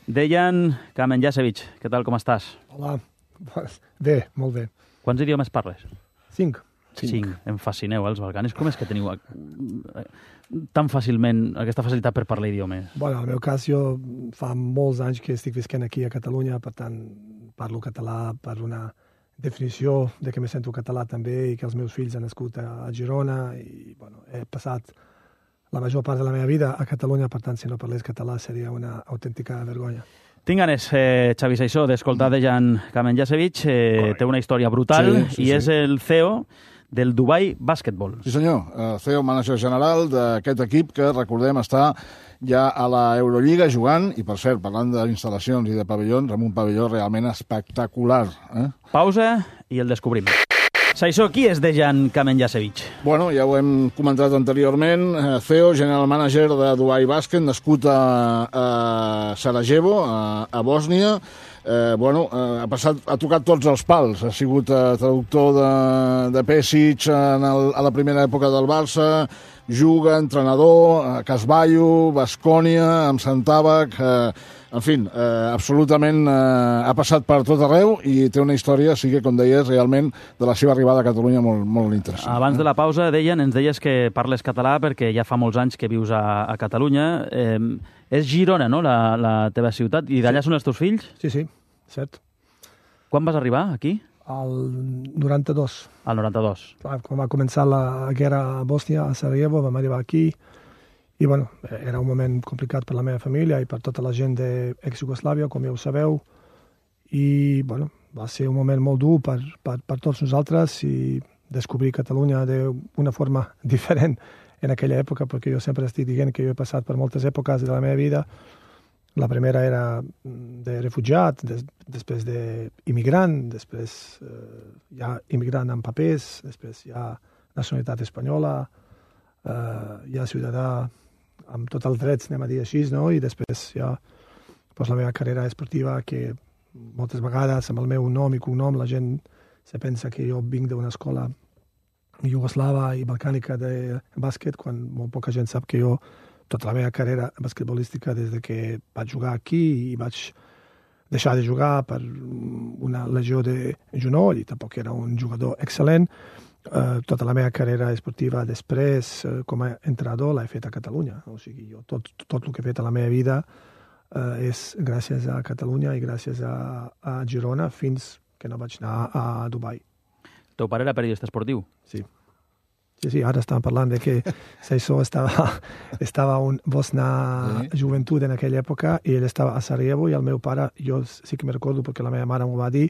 Dejan Kamenjasevic, què tal, com estàs? Hola, bé, molt bé. Quants idiomes parles? 5. 5. Em fascineu, els balcanis. Com és que teniu tan fàcilment aquesta facilitat per parlar idiomes? Bueno, en el meu cas, jo fa molts anys que estic visquent aquí a Catalunya, per tant, parlo català per una definició de que me sento català també i que els meus fills han nascut a Girona i, bueno, he passat la major part de la meva vida a Catalunya, per tant, si no parlés català seria una autèntica vergonya. Tinc ganes, Xavi Saissó, d'escoltar Dejan Kamenjasevic. Té una història brutal i és el CEO del Dubai Basketball. Sí, senyor. CEO, mànager general d'aquest equip que, recordem, està ja a la Eurolliga jugant i, per cert, parlant d'instal·lacions i de pavellons, amb un pavelló realment espectacular. Pausa i el descobrim. Saissó, qui és Dejan Kamenjasevic? Bueno, ja ho hem comentat anteriorment. CEO, general manager de Dubai Basket, nascut a Sarajevo, a Bòsnia. Ha tocat tots els pals. Ha sigut traductor de Pesic a la primera època del Barça, juga, entrenador, a Casballo, Baskònia, amb Santàbac... En fi, absolutament ha passat per tot arreu i té una història, sí que, com deies, realment de la seva arribada a Catalunya molt interessant. Abans de la pausa, ens deies que parles català perquè ja fa molts anys que vius a Catalunya. És Girona, no?, la teva ciutat, i d'allà són els teus fills? Sí, cert. Quan vas arribar aquí? Al 92. Al 92. Clar, quan va començar la guerra a Bòsnia, a Sarajevo, vam arribar aquí. I, bueno, era un moment complicat per la meva família i per tota la gent d'ex-Jugoslàvia, com ja ho sabeu. I, bueno, va ser un moment molt dur per tots nosaltres i descobrir Catalunya d'una forma diferent en aquella època, perquè jo sempre estic dient que jo he passat per moltes èpoques de la meva vida. La primera era de refugiat, després d'immigrant, després ja immigrant amb papers, després ja nacionalitat espanyola, ja ciutadà amb tots els drets, anem a dir així, no? I després ja la meva carrera esportiva, que moltes vegades amb el meu nom i cognom la gent se pensa que jo vinc d'una escola iugoslava i balcànica de bàsquet, quan molt poca gent sap que jo tota la meva carrera basquetbolística des que vaig jugar aquí i vaig deixar de jugar per una lesió de genoll i tampoc era un jugador excel·lent. Tota la meva carrera esportiva després, com a entrenador, l'he fet a Catalunya. O sigui, jo tot el que he fet a la meva vida és gràcies a Catalunya i gràcies a Girona fins que no vaig anar a Dubai. El teu pare era periodista esportiu? Sí, ara estàvem parlant de que Saissó estava un Bosna Joventut en aquella època i ell estava a Sarajevo i el meu pare, jo sí que me recordo perquè la meva mare m'ho va dir,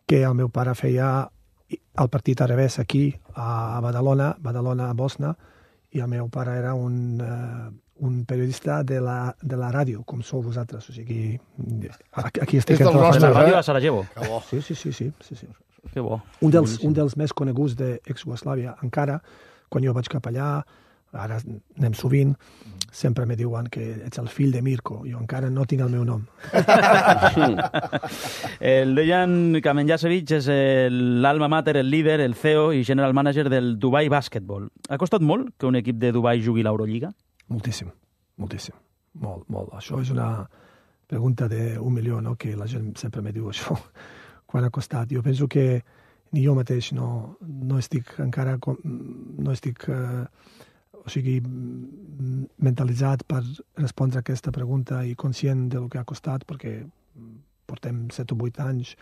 que el meu pare feia el partit al revés aquí a Badalona a Bosna, i el meu pare era un periodista de la ràdio, com sou vosaltres. O sigui, aquí estic entre la ràdio a Sarajevo. Sí. Que bo. Un dels més coneguts d'ex-Jugoslàvia, encara, quan jo vaig cap allà, ara anem sovint, sempre me diuen que ets el fill de Mirko. Jo encara no tinc el meu nom. El Dejan Kamenjasevic és l'alma mater, el líder, el CEO i general manager del Dubai Basketball. Ha costat molt que un equip de Dubai jugui l'Eurolliga? Moltíssim. Molt. Això és una pregunta d'un milió, no?, que la gent sempre me diu això. Quan ha costat? Jo penso que ni jo mateix no estic encara... O sigui, mentalitzat per respondre a aquesta pregunta i conscient del que ha costat, perquè portem 7 o 8 anys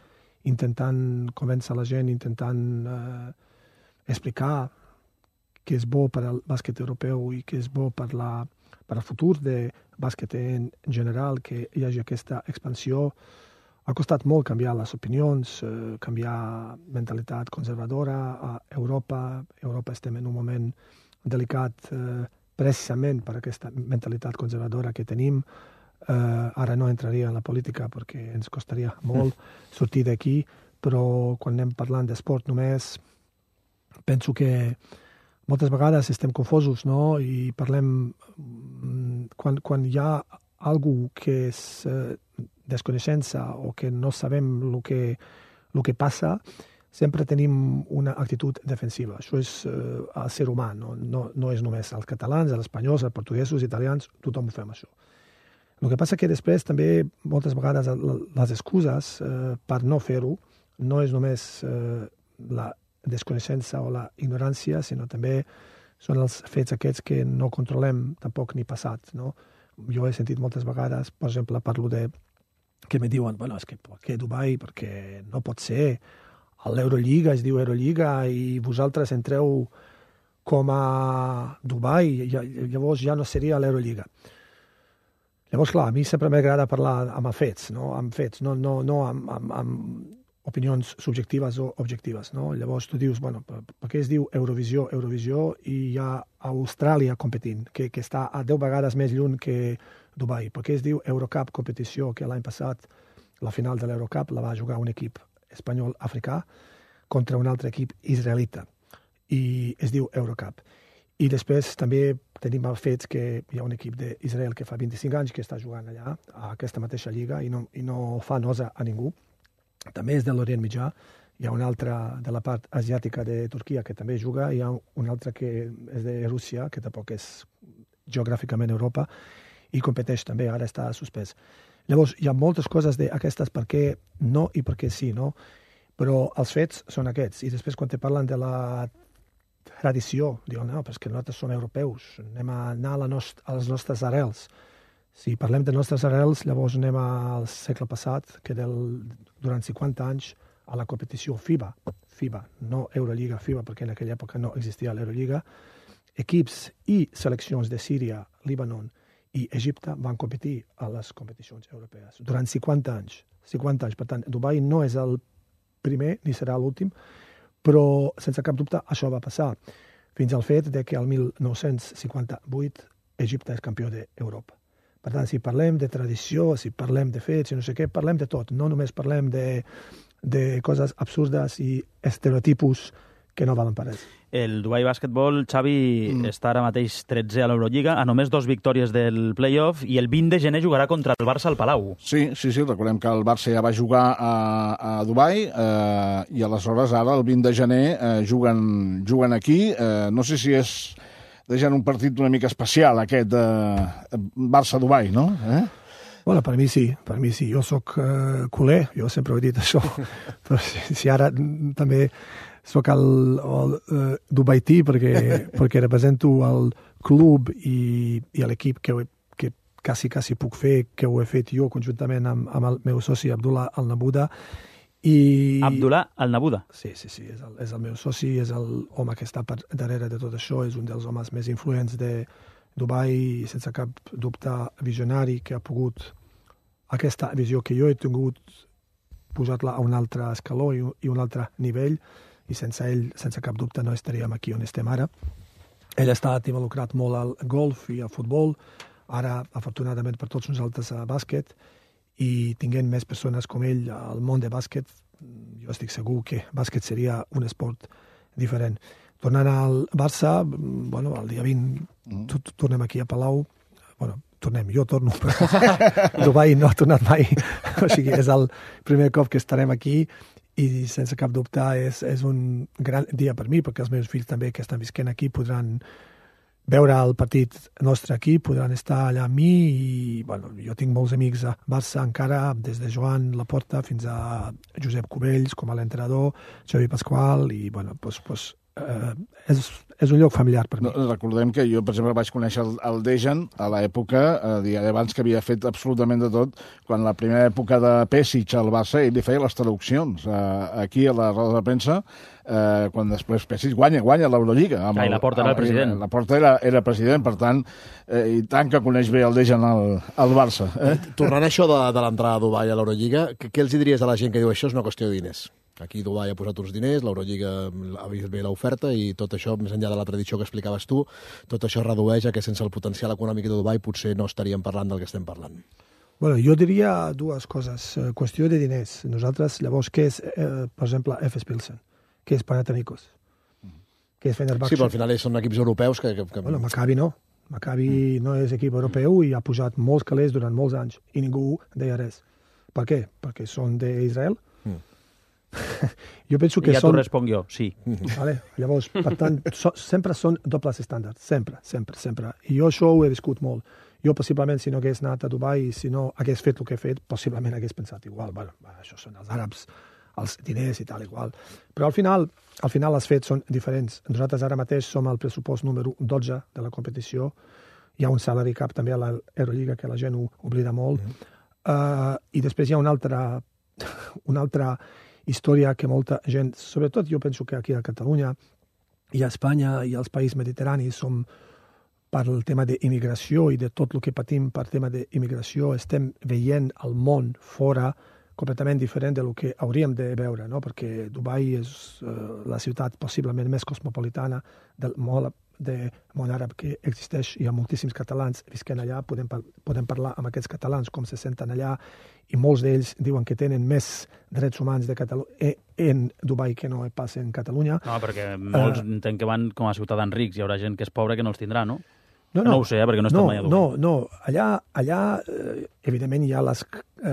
intentant convèncer la gent, intentant explicar què és bo per al bàsquet europeu i què és bo per al futur de bàsquet en general, que hi hagi aquesta expansió. Ha costat molt canviar les opinions, canviar mentalitat conservadora a Europa. Europa estem en un moment delicat precisament per aquesta mentalitat conservadora que tenim. Ara no entraria en la política perquè ens costaria molt sortir d'aquí, però quan anem parlant d'esport només, penso que moltes vegades estem confosos, no? I parlem... Quan hi ha algú que és desconeixença o que no sabem el que passa, sempre tenim una actitud defensiva. Això és el ser humà, no és només els catalans, els espanyols, els portuguesos, els italians, tothom ho fem això. El que passa que després també moltes vegades les excuses per no fer-ho no és només la desconeixença o la ignorància, sinó també són els fets aquests que no controlem tampoc ni passat, no? Jo he sentit moltes vegades, per exemple, parlo de que me diuen, bueno, és que per què Dubai? Perquè no pot ser. L'Eurolliga es diu Eurolliga i vosaltres entreu com a Dubai, llavors ja no seria l'Eurolliga. Llavors, clar, a mi sempre m'agrada parlar amb fets, no? Amb fets, no amb opinions subjectives o objectives, no? Llavors tu dius, bueno, per què es diu Eurovisió i hi ha Austràlia competint, que està a 10 vegades més lluny que Dubai? Per què es diu Eurocup competició, que l'any passat la final de l'Eurocup la va jugar un equip espanyol-africà contra un altre equip israelita, i es diu Eurocup. I després també tenim els fets que hi ha un equip d'Israel que fa 25 anys que està jugant allà, a aquesta mateixa lliga, i no fa nosa a ningú. També és de l'Orient Mitjà. Hi ha un altre de la part asiàtica de Turquia que també juga, hi ha un altre que és de Rússia, que tampoc és geogràficament Europa, i competeix també, ara està suspès. Llavors, hi ha moltes coses d'aquestes per què no i per què sí, no? Però els fets són aquests. I després, quan te parlen de la tradició, diuen, no, però és que nosaltres som europeus, anem a anar a les nostres arrels. Si parlem de nostres arrels, llavors anem al segle passat, que durant 50 anys a la competició FIBA, no Euroliga, FIBA, perquè en aquella època no existia l'Euroliga, equips i seleccions de Síria, Líbanon i Egipte van competir a les competicions europees durant 50 anys. 50 anys. Per tant, Dubai no és el primer ni serà l'últim, però sense cap dubte això va passar fins al fet de que el 1958 Egipte és campió d'Europa. Per tant, si parlem de tradició, si parlem de fets, si no sé què, parlem de tot. No només parlem de coses absurdes i estereotipos que no valen per res. El Dubai Basketball, Xavi, està ara mateix 13 a l'Eurolliga, a només 2 victòries del playoff, i el 20 de gener jugarà contra el Barça al Palau. Sí, recordem que el Barça ja va jugar a Dubai i aleshores ara, el 20 de gener, juguen aquí. No sé si és deixant un partit una mica especial, aquest Barça-Dubai, no? Bueno, per mi sí. Jo soc culer, jo sempre he dit això. Però si ara també soc el dubaití perquè represento el club i l'equip que quasi puc fer, que ho he fet jo conjuntament amb el meu soci Abdullah Al-Nabuda. Abdullah Al-Nabuda? Sí, és el meu soci, és l'home que està per darrere de tot això, és un dels homes més influents de Dubai, sense cap dubte visionari, que ha pogut aquesta visió que jo he tingut, posar-la a un altre escaló i un altre nivell, i sense ell, sense cap dubte, no estaríem aquí on estem ara. Ell ha estat involucrat molt al golf i al futbol, ara, afortunadament per tots nosaltres, a bàsquet, i tinguent més persones com ell al món de bàsquet, jo estic segur que bàsquet seria un esport diferent. Tornant al Barça, bueno, el dia 20 tornem aquí a Palau, jo torno, però Dubai no ha tornat mai, o sigui, és el primer cop que estarem aquí, i sense cap dubte és un gran dia per mi, perquè els meus fills també que estan visquent aquí podran veure el partit nostre aquí, podran estar allà amb mi, i jo tinc molts amics a Barça encara, des de Joan Laporta fins a Josep Cubells com a l'entrenador, Xavi Pasqual, i és un lloc familiar per mi. Recordem que jo, per exemple, vaig conèixer el Dejan a l'època, abans que havia fet absolutament de tot, quan la primera època de Pesic al Barça, ell li feia les traduccions aquí a la roda de premsa, quan després Pesic guanya l'Eurolliga. I Laporta era el president. Laporta era president, per tant, i tant que coneix bé el Dejan al Barça. Tornant a això de l'entrada a Dubai a l'Eurolliga, què els diries a la gent que diu això és una qüestió de diners? Aquí Dubai ha posat uns diners, l'Eurolliga ha vist bé l'oferta, i tot això, més enllà de la tradició que explicaves tu, tot això redueix a que sense el potencial econòmic de Dubai potser no estaríem parlant del que estem parlant. Bueno, jo diria dues coses. Qüestió de diners. Nosaltres, llavors, què és, per exemple, FS Pilsen? Què és Panathinaikos? Què és Fenerbahçe? Sí, però al final són equips europeus que... Bueno, Maccabi no. Maccabi no és equip europeu i ha pujat molts calés durant molts anys i ningú deia res. Per què? Perquè són d'Israel? Jo penso que t'ho responc jo, sí. Vale? Llavors, per tant, sempre són dobles estàndards, sempre. I jo això ho he viscut molt. Jo, possiblement, si no hagués anat a Dubai i si no hagués fet el que he fet, possiblement hagués pensat igual. Bueno, això són els àrabs, els diners i tal, igual. Però al final els fets són diferents. Nosaltres ara mateix som al pressupost número 12 de la competició. Hi ha un salary cap també a l'Eurolliga que la gent ho oblida molt. I després hi ha una altra història que molta gent, sobretot jo penso que aquí a Catalunya i a Espanya i als països mediterranis som per el tema d'immigració i de tot el que patim per tema d'immigració, estem veient el món fora completament diferent del que hauríem de veure, no? Perquè Dubai és la ciutat possiblement més cosmopolitana del món àrab que existeix. Hi ha moltíssims catalans visquent allà, podem parlar amb aquests catalans com se senten allà, i molts d'ells diuen que tenen més drets humans en Dubai que no pas en Catalunya. No, perquè molts entenc que van com a ciutadans rics, hi haurà gent que és pobra que no els tindrà, no? No ho sé, perquè no he estat mai a Dubai. No. Allà evidentment hi ha les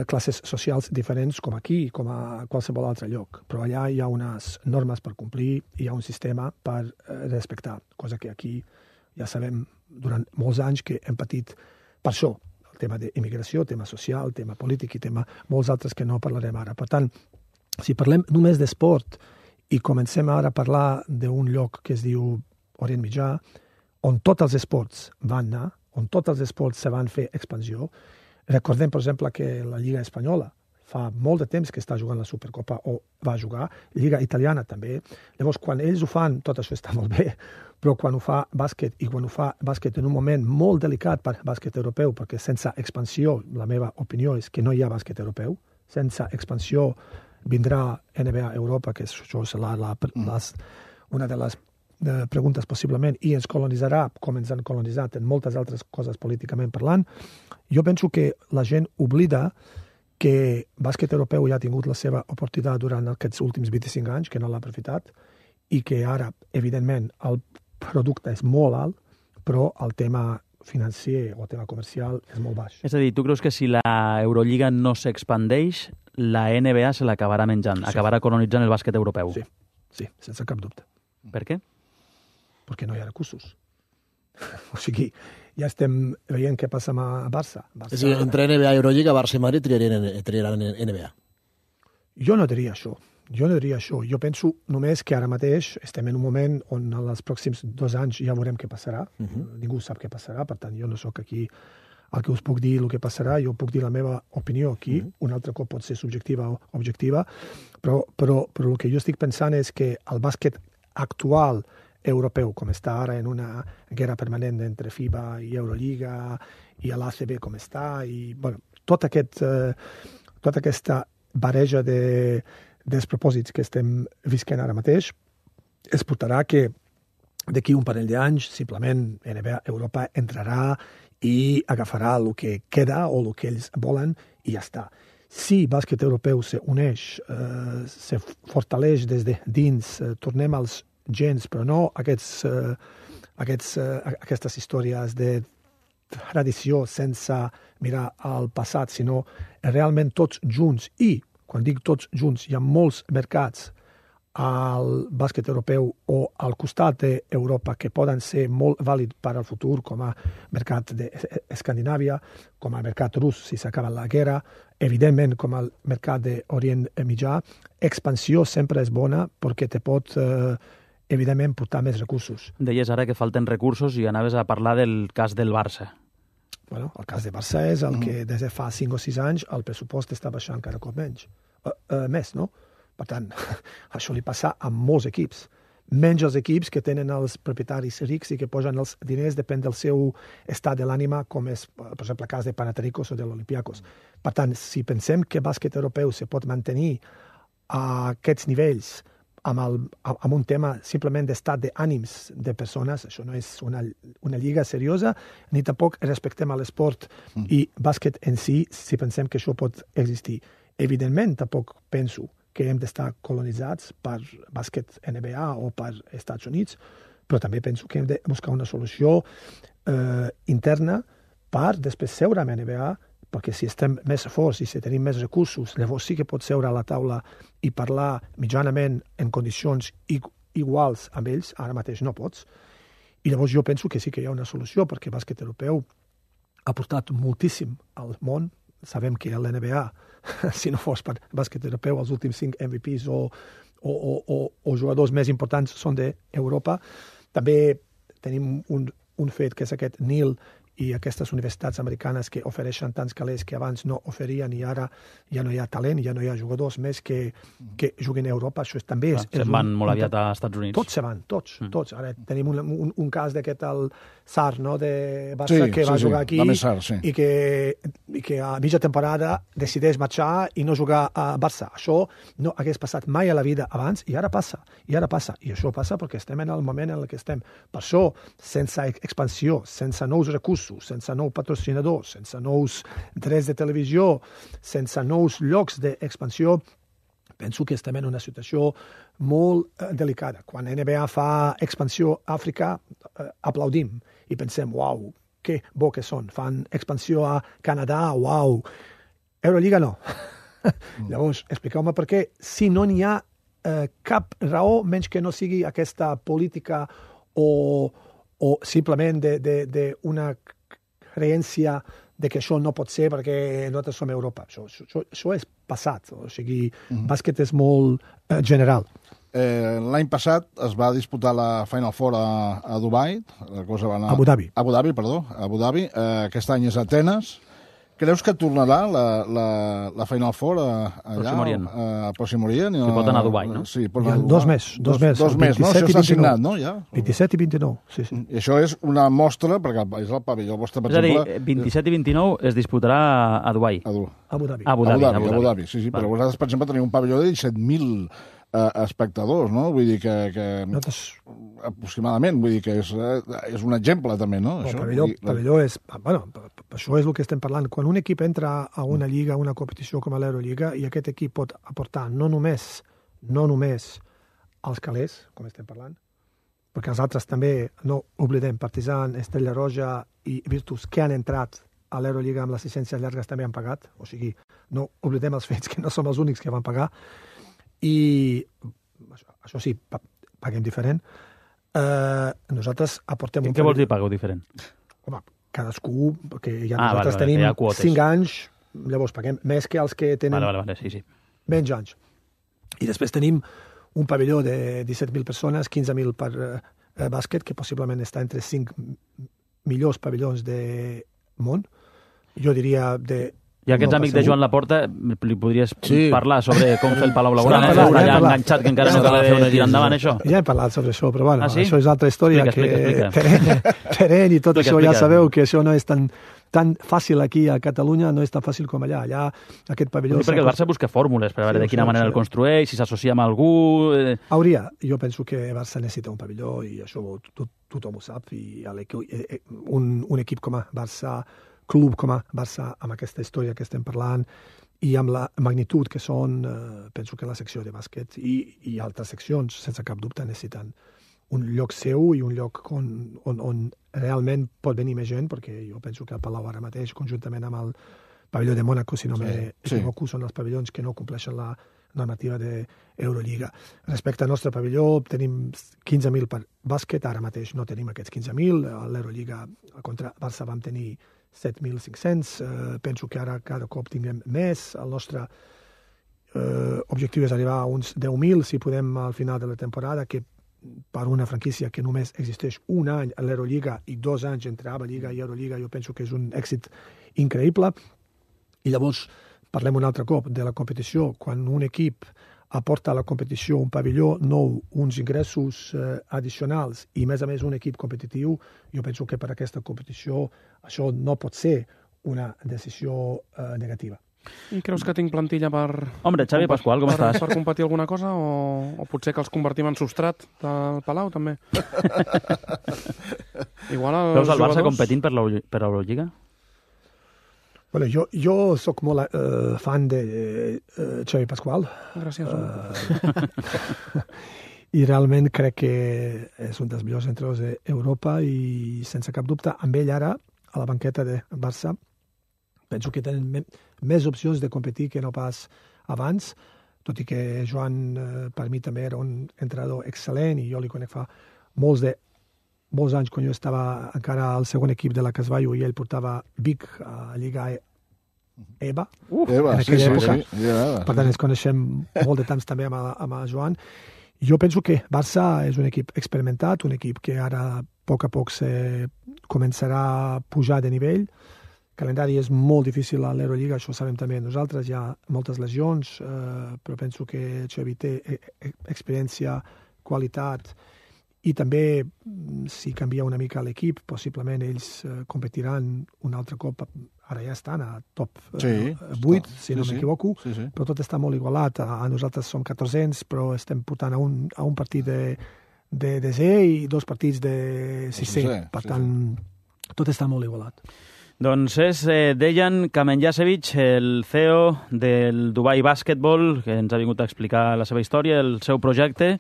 classes socials diferents com aquí, com a qualsevol altre lloc, però allà hi ha unes normes per complir, hi ha un sistema per respectar, cosa que aquí ja sabem durant molts anys que hem patit per això, el tema d'immigració, tema social, tema polític i tema molts altres que no parlarem ara. Per tant, si parlem només d'esport i comencem ara a parlar d'un lloc que es diu Orient Mitjà, on tots els esports van anar, on tots els esports se van fer expansió. Recordem, per exemple, que la Lliga Espanyola fa molt de temps que està jugant la Supercopa o va jugar, Lliga Italiana també. Llavors, quan ells ho fan, tot això està molt bé, però quan ho fa bàsquet, i quan ho fa bàsquet en un moment molt delicat per bàsquet europeu, perquè sense expansió, la meva opinió és que no hi ha bàsquet europeu, sense expansió vindrà NBA Europa, que això serà una de les preguntes possiblement, i ens colonitzarà com ens han colonitzat en moltes altres coses políticament parlant. Jo penso que la gent oblida que bàsquet europeu ja ha tingut la seva oportunitat durant aquests últims 25 anys, que no l'ha aprofitat, i que ara, evidentment, el producte és molt alt, però el tema financer o el tema comercial és molt baix. És a dir, tu creus que si la Eurolliga no s'expandeix, la NBA se l'acabarà menjant, acabarà colonitzant el bàsquet europeu? Sí, sense cap dubte. Per què? Perquè no hi ha recursos. O sigui, ja estem veient què passa a Barça. És a dir, entre NBA i Eurolliga, Barça i Madrid triaran NBA. Jo no diria això. Jo penso només que ara mateix estem en un moment on en els pròxims 2 anys ja veurem què passarà. Ningú sap què passarà, per tant, jo no sóc aquí el que us puc dir el que passarà, jo puc dir la meva opinió aquí, un altre cop pot ser subjectiva o objectiva, però el que jo estic pensant és que el bàsquet actual europeu, com està ara en una guerra permanent entre FIBA i Euroliga, i l'ACB com està, i bueno, tota aquesta barreja de despropòsits que estem visquent ara mateix es portarà que d'aquí un parell d'anys simplement NBA Europa entrarà i agafarà el que queda o el que ells volen i ja està. Si bàsquet europeu s'uneix, se fortaleix des de dins, tornem als gens, però no aquestes històries de tradició sense mirar al passat, sinó realment tots junts. I, quan dic tots junts, hi ha molts mercats al bàsquet europeu o al costat d'Europa que poden ser molt vàlids per al futur, com a mercat d'Escandinàvia, com a mercat rus si s'acaba la guerra, evidentment com al mercat d'Orient Mitjà. Expansió sempre és bona perquè te pot evidentment portar més recursos. Deies ara que falten recursos i anaves a parlar del cas del Barça. Bueno, el cas de Barça és el que des de fa 5 o 6 anys el pressupost està baixant cada cop més, no? Per tant, això li passa a molts equips. Menys els equips que tenen els propietaris rics i que posen els diners, depèn del seu estat de l'ànima, com és, per exemple, el cas de Panathinaikos o de l'Olympiakos. Per tant, si pensem que bàsquet europeu se pot mantenir a aquests nivells amb un tema simplement d'estat d'ànims de persones, això no és una lliga seriosa, ni tampoc respectem a l'esport i bàsquet en si pensem que això pot existir. Evidentment, tampoc penso que hem d'estar colonitzats per bàsquet NBA o per Estats Units, però també penso que hem de buscar una solució interna per després seure amb NBA, perquè si estem més forts i si tenim més recursos, llavors sí que pots seure a la taula i parlar mitjanament en condicions iguals amb ells, ara mateix no pots. I llavors jo penso que sí que hi ha una solució, perquè bàsquet europeu ha portat moltíssim al món. Sabem que l'NBA, si no fos per bàsquet europeu, els últims 5 MVPs o jugadors més importants són d'Europa. També tenim un fet que és aquest NIL i aquestes universitats americanes que ofereixen tants calés que abans no oferien i ara ja no hi ha talent, ja no hi ha jugadors més que juguin a Europa. Això també és... Se'n van molt aviat a Estats Units. Tots se van, tots. Ara tenim un cas d'aquest el Sar, no?, de Barça, que va jugar aquí i que a mitja temporada decideix marxar i no jugar a Barça. Això no hagués passat mai a la vida abans i ara passa. I això passa perquè estem en el moment en què estem. Per això, sense expansió, sense nous recursos, sense nous patrocinadors, sense nous drets de televisió, sense nous llocs d'expansió, penso que estem en una situació molt delicada. Quan NBA fa expansió a Àfrica, aplaudim i pensem, uau, que bo que són. Fan expansió a Canadà, uau. Euroliga no. Llavors, expliqueu-me per què, si no n'hi ha cap raó, menys que no sigui aquesta política o simplement d'una creència de que això no pot ser perquè nosaltres som a Europa. Això és passat. O sigui, bàsquet és molt general. L'any passat es va disputar la Final Four a Dubai. La cosa va anar... Abu Dhabi. Abu Dhabi. Aquest any és a Atenes. Creus que tornarà la Final Four allà, a Pròxim Orient? Sí, pot anar a Dubai, no? Sí, pot anar a Dubai. Dos més, no? Això està signat, no? Ja? 27 i 29, sí. I això és una mostra, perquè és el pavelló vostre, per exemple... És a dir, 27 i 29 es disputarà a Dubai. Abu Dhabi. Abu Dhabi, sí. Però vosaltres, per exemple, teniu un pavelló de 17.000 espectadors, no? Vull dir que aproximadament, vull dir que és un exemple també, no? El pavelló és... Bueno, això és el que estem parlant. Quan un equip entra a una lliga, a una competició com a l'Eurolliga, i aquest equip pot aportar no només els calés, com estem parlant, perquè els altres també, no oblidem, Partizan, Estrella Roja i Virtus, que han entrat a l'Eurolliga amb les llicències llargues també han pagat. O sigui, no oblidem els fets que no som els únics que van pagar. I això sí, paguem diferent. Nosaltres aportem... Què vols dir pagueu diferent? Home, cadascú, perquè nosaltres tenim 5 anys, llavors paguem més que els que tenen menys anys. I després tenim un pavelló de 17.000 persones, 15.000 per bàsquet, que possiblement està entre 5 millors pavellons de món. Jo diria de... I aquest amic de Joan Laporta, li podries parlar sobre com fer el Palau Blaugrana? Està allà enganxat, que encara no acaba de tirar endavant això. Ja hem parlat sobre això, però bueno, això és altra història. Explica. Terreny i tot això, ja sabeu que això no és tan fàcil aquí a Catalunya, no és tan fàcil com allà. Allà, aquest pavelló... Perquè el Barça busca fórmules per veure de quina manera el construeix, si s'associa amb algú... Jo penso que el Barça necessita un pavelló, i això tothom ho sap, i un equip com a Barça, club com a Barça, amb aquesta història que estem parlant i amb la magnitud que són, penso que la secció de bàsquet i altres seccions, sense cap dubte, necessiten un lloc seu i un lloc on realment pot venir més gent, perquè jo penso que el Palau ara mateix, conjuntament amb el pavelló de Mònaco, si no m'equivoco, són els pavellons que no compleixen la normativa d'Eurolliga. Respecte al nostre pavelló, tenim 15.000 per bàsquet, ara mateix no tenim aquests 15.000, a l'Eurolliga contra Barça vam tenir 7.500, penso que ara cada cop tinguem més. El nostre objectiu és arribar a uns 10.000, si podem, al final de la temporada, que per una franquícia que només existeix un any a l'Eurolliga i 2 anys entre ABA Lliga i Eurolliga, jo penso que és un èxit increïble. I llavors parlem un altre cop de la competició. Quan un equip aporta a la competició un pavelló nou, uns ingressos addicionals i, a més un equip competitiu, jo penso que per aquesta competició això no pot ser una decisió negativa. I creus que tinc plantilla per... Hombre, Xavi Pascual, com estàs? Per competir alguna cosa o potser que els convertim en substrat del Palau, també? Igual els veus el Barça competint per l'Eurolliga? Bueno, jo sóc molt fan de Xavi Pascual. Gràcies. I realment crec que és un dels millors entrenadors d'Europa i sense cap dubte amb ell ara a la banqueta de Barça penso que tenen més opcions de competir que no pas abans, tot i que Joan per mi també era un entrenador excel·lent i jo li conec fa molts molts anys, quan jo estava encara al segon equip de la Casvallo i ell portava Vic a Lliga EVA, en aquella època. Per tant, ens coneixem molt de temps també amb el Joan. Jo penso que Barça és un equip experimentat, un equip que ara a poc començarà a pujar de nivell. El calendari és molt difícil a l'Eurolliga, això ho sabem també nosaltres, hi ha moltes lesions, però penso que Xavi té experiència, qualitat, i també, si canvia una mica l'equip, possiblement ells competiran un altre cop. Ara ja estan a top 8, si no m'equivoco, però tot està molt igualat. Nosaltres som 1400, però estem portant a un partit de desè i 2 partits de sisè. Per tant, tot està molt igualat. Doncs és Dejan Kamenjasevic, el CEO del Dubai Basketball, que ens ha vingut a explicar la seva història, el seu projecte,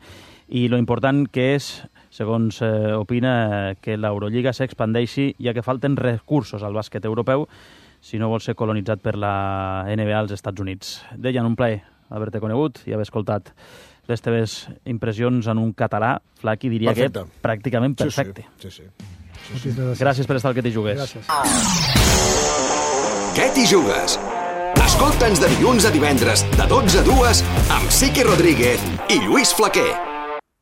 i lo important que és, segons opina, que l'Eurolliga s'expandeixi, ja que falten recursos al bàsquet europeu si no vol ser colonitzat per la NBA als Estats Units. Dejan, un plaer haver-te conegut i haver escoltat les teves impressions en un català, Flaqui, diria que pràcticament perfecte. Sí. Gràcies per estar al Que t'hi jugues. Gràcies. Que t'hi jugues? Escolta'ns de dilluns a divendres, de 12 a 2, amb Siqui Rodríguez i Lluís Flaquer.